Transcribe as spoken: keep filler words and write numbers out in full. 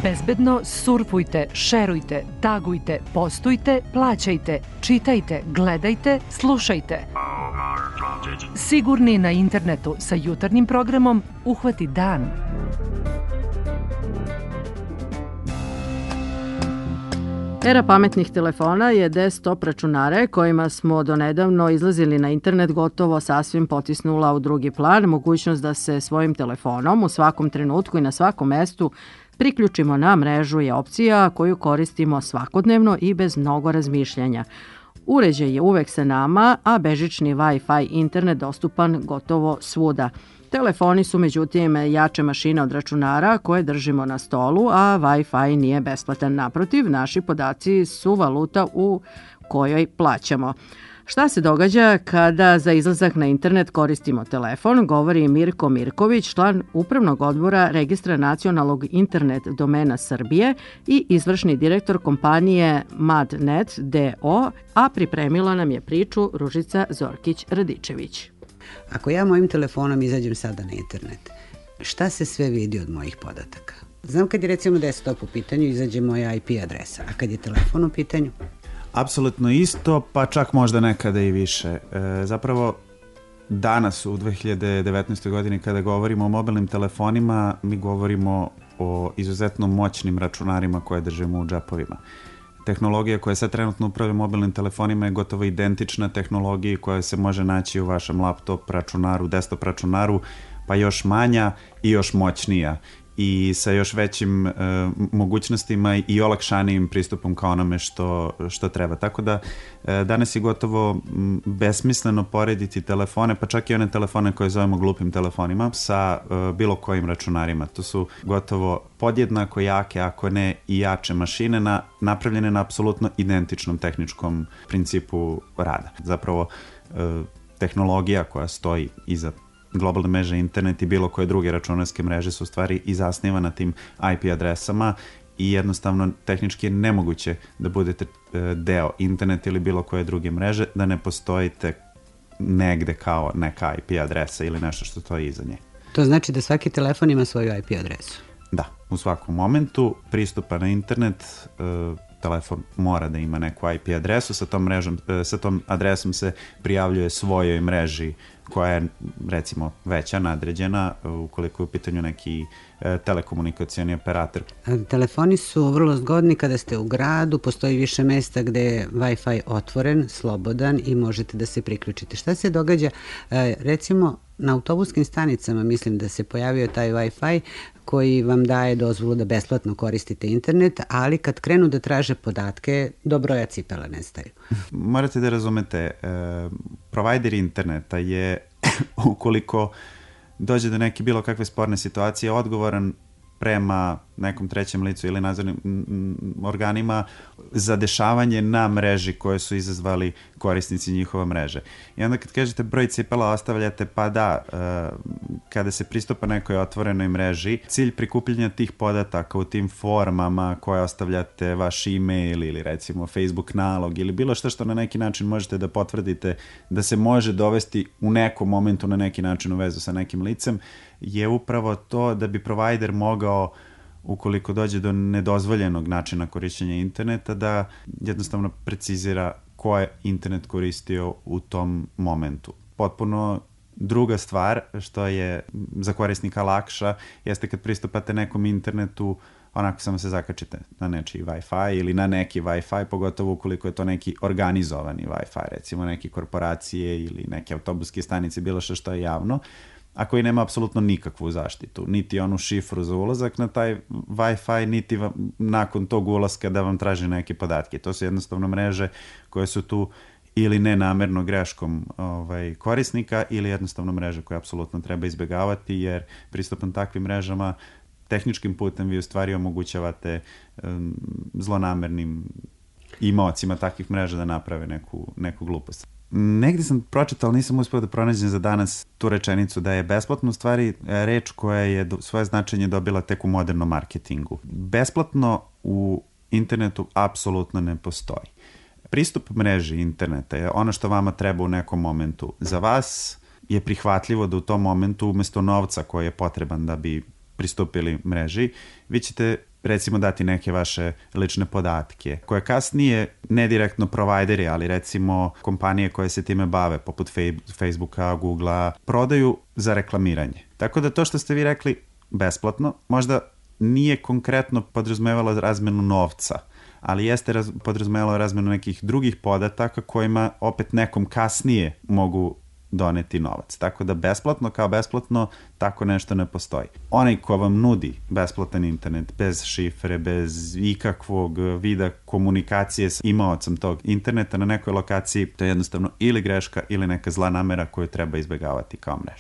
Bezbedno surfujte, šerujte, tagujte, postujte, plaćajte, čitajte, gledajte, slušajte. Sigurni na internetu sa jutarnjim programom Uhvati dan. Era pametnih telefona je desktop računare kojima smo donedavno izlazili na internet gotovo sasvim potisnula u drugi plan mogućnost da se svojim telefonom u svakom trenutku i na svakom mestu priključimo na mrežu je opcija koju koristimo svakodnevno i bez mnogo razmišljanja. Uređaj je uvek sa nama, a bežični Wi-Fi internet dostupan gotovo svuda. Telefoni su međutim jače mašine od računara koje držimo na stolu, a Wi-Fi nije besplatan. Naprotiv, naši podaci su valuta u kojoj plaćamo. Šta se događa kada za izlazak na internet koristimo telefon, govori Mirko Mirković, član Upravnog odbora Registra nacionalnog internet domena Srbije i izvršni direktor kompanije MadNet D O, a pripremila nam je priču Ružica Zorkić-Radičević. Ako ja mojim telefonom izađem sada na internet, šta se sve vidi od mojih podataka? Znam kad je recimo desktop u pitanju, izađe moja I P adresa, a kad je telefon u pitanju? Apsolutno isto, pa čak možda nekada i više. E, zapravo, danas u dve hiljade devetnaestoj. godini kada govorimo o mobilnim telefonima, mi govorimo o izuzetno moćnim računarima koje držimo u džepovima. Tehnologija koja sad trenutno upravlja mobilnim telefonima je gotovo identična tehnologiji koja se može naći u vašem laptop računaru, desktop računaru, pa još manja i još moćnija i sa još većim e, mogućnostima i olakšanijim pristupom ka onome što, što treba. Tako da e, danas je gotovo m, besmisleno porediti telefone, pa čak i one telefone koje zovemo glupim telefonima, sa e, bilo kojim računarima. To su gotovo podjednako jake, ako ne i jače mašine, na, napravljene na apsolutno identičnom tehničkom principu rada. Zapravo, e, tehnologija koja stoji iza globalne mreže internet i bilo koje druge računarske mreže su u stvari i zasniva na tim I P adresama i jednostavno tehnički je nemoguće da budete deo interneta ili bilo koje druge mreže, da ne postojite negde kao neka I P adresa ili nešto što stoji iza nje. To znači da svaki telefon ima svoju I P adresu? Da, u svakom momentu pristupa na internet telefon mora da ima neku I P adresu, sa tom, mrežom, sa tom adresom se prijavljuje svojoj mreži koja je recimo veća, nadređena, ukoliko je u pitanju neki e, telekomunikacioni operator. Telefoni su vrlo zgodni kada ste u gradu, postoji više mesta gde je Wi-Fi otvoren, slobodan i možete da se priključite. Šta se događa? E, recimo na autobuskim stanicama mislim da se pojavio taj Wi-Fi koji vam daje dozvolu da besplatno koristite internet, ali kad krenu da traže podatke, do broja cipela nestaju. Morate da razumete, e, provider interneta je, ukoliko dođe do neke bilo kakve sporne situacije, odgovoran prema nekom trećem licu ili nadzornim organima za dešavanje na mreži koje su izazvali korisnici njihova mreže. I onda kad kažete broj cipela ostavljate, pa da, kada se pristupa nekoj otvorenoj mreži, cilj prikupljanja tih podataka u tim formama koje ostavljate, vaš e-mail ili recimo Facebook nalog ili bilo što što na neki način možete da potvrdite da se može dovesti u nekom momentu na neki način u vezu sa nekim licem, je upravo to da bi provider mogao, ukoliko dođe do nedozvoljenog načina korišćenja interneta, da jednostavno precizira ko je internet koristio u tom momentu. Potpuno druga stvar što je za korisnika lakša jeste kad pristupate nekom internetu, onako samo se zakačite na nečiji Wi-Fi ili na neki Wi-Fi, pogotovo ukoliko je to neki organizovani Wi-Fi, recimo neke korporacije ili neke autobuske stanice, bilo što što je javno, a koji nema apsolutno nikakvu zaštitu, niti onu šifru za ulazak na taj Wi-Fi, niti vam, nakon tog ulaska da vam traži neke podatke. To su jednostavno mreže koje su tu ili nenamerno greškom ovaj, korisnika ili jednostavno mreže koje apsolutno treba izbjegavati, jer pristupom takvim mrežama tehničkim putem vi u stvari omogućavate um, zlonamernim imaocima takvih mreža da naprave neku, neku glupost. Negdje sam pročitao, nisam uspio da pronađem za danas tu rečenicu da je besplatno u stvari reč koja je svoje značenje dobila tek u modernom marketingu. Besplatno u internetu apsolutno ne postoji. Pristup mreži interneta je ono što vama treba u nekom momentu. Za vas je prihvatljivo da u tom momentu umjesto novca koji je potreban da bi pristupili mreži, vi ćete recimo dati neke vaše lične podatke, koje kasnije, ne direktno provajderi, ali recimo kompanije koje se time bave, poput Facebooka, Googlea, prodaju za reklamiranje. Tako da to što ste vi rekli besplatno, možda nije konkretno podrazumevalo razmenu novca, ali jeste raz, podrazumevalo razmenu nekih drugih podataka kojima opet nekom kasnije mogu doneti novac. Tako da besplatno kao besplatno tako nešto ne postoji. Onaj ko vam nudi besplatan internet bez šifre, bez ikakvog vida komunikacije s imaocem tog interneta na nekoj lokaciji, to je jednostavno ili greška ili neka zla namera koju treba izbjegavati kao mreža.